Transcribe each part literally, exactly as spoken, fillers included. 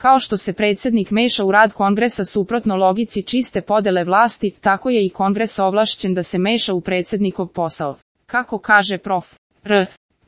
Kao što se predsjednik meša u rad kongresa suprotno logici čiste podele vlasti, tako je i kongres ovlašćen da se meša u predsjednikov posao. Kako kaže prof. R.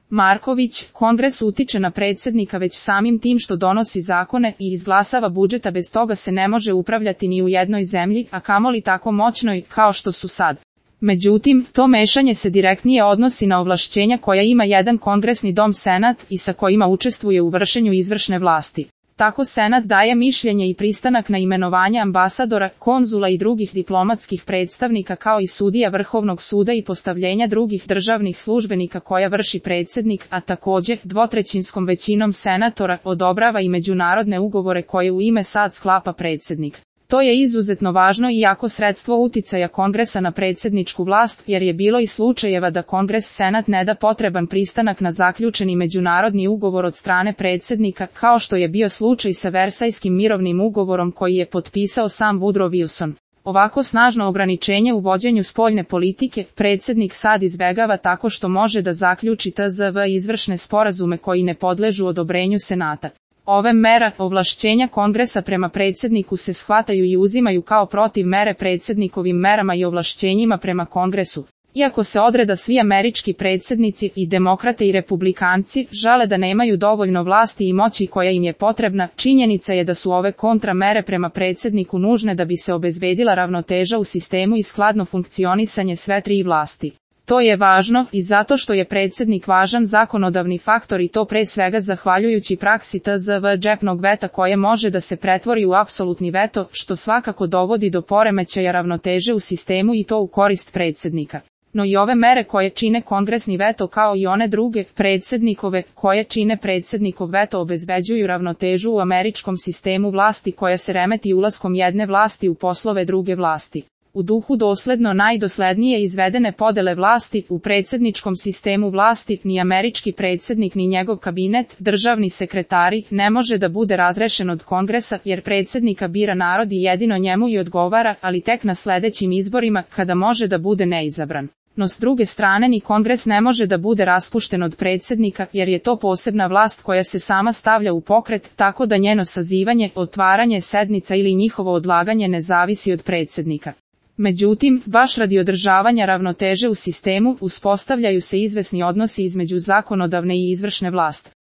Marković, kongres utiče na predsjednika već samim tim što donosi zakone i izglasava budžeta, bez toga se ne može upravljati ni u jednoj zemlji, a kamoli tako moćnoj kao što su sad. Međutim, to mešanje se direktnije odnosi na ovlašćenja koja ima jedan kongresni dom senat i sa kojima učestvuje u vršenju izvršne vlasti. Tako senat daje mišljenje i pristanak na imenovanje ambasadora, konzula i drugih diplomatskih predstavnika kao i sudija Vrhovnog suda i postavljenja drugih državnih službenika koja vrši predsjednik, a također dvotrećinskom većinom senatora odobrava i međunarodne ugovore koje u ime sad sklapa predsjednik. To je izuzetno važno i jako sredstvo uticaja kongresa na predsjedničku vlast, jer je bilo i slučajeva da kongres senat ne da potreban pristanak na zaključeni međunarodni ugovor od strane predsjednika, kao što je bio slučaj sa Versajskim mirovnim ugovorom koji je potpisao sam Woodrow Wilson. Ovako snažno ograničenje u vođenju spoljne politike predsjednik sad izbegava tako što može da zaključi T Z V izvršne sporazume koji ne podležu odobrenju senata. Ove mera ovlašćenja kongresa prema predsjedniku se shvataju i uzimaju kao protiv mere predsjednikovim merama i ovlašćenjima prema kongresu. Iako se odreda svi američki predsjednici, i demokrate i republikanci, žele da nemaju dovoljno vlasti i moći koja im je potrebna, činjenica je da su ove kontramere prema predsjedniku nužne da bi se obezbedila ravnoteža u sistemu i skladno funkcionisanje sve tri vlasti. To je važno i zato što je predsjednik važan zakonodavni faktor i to pre svega zahvaljujući praksi T Z V džepnog veta koje može da se pretvori u apsolutni veto, što svakako dovodi do poremećaja ravnoteže u sistemu i to u korist predsjednika. No i ove mere koje čine kongresni veto kao i one druge, predsjednikove, koje čine predsjednikov veto obezbeđuju ravnotežu u američkom sistemu vlasti koja se remeti ulaskom jedne vlasti u poslove druge vlasti. U duhu dosledno najdoslednije izvedene podele vlasti, u predsjedničkom sistemu vlasti, ni američki predsjednik ni njegov kabinet, državni sekretari, ne može da bude razrešen od kongresa, jer predsjednika bira narod i jedino njemu i odgovara, ali tek na sljedećim izborima, kada može da bude neizabran. No s druge strane ni kongres ne može da bude raspušten od predsjednika, jer je to posebna vlast koja se sama stavlja u pokret, tako da njeno sazivanje, otvaranje sednica ili njihovo odlaganje ne zavisi od predsjednika. Međutim, baš radi održavanja ravnoteže u sistemu, uspostavljaju se izvesni odnosi između zakonodavne i izvršne vlasti.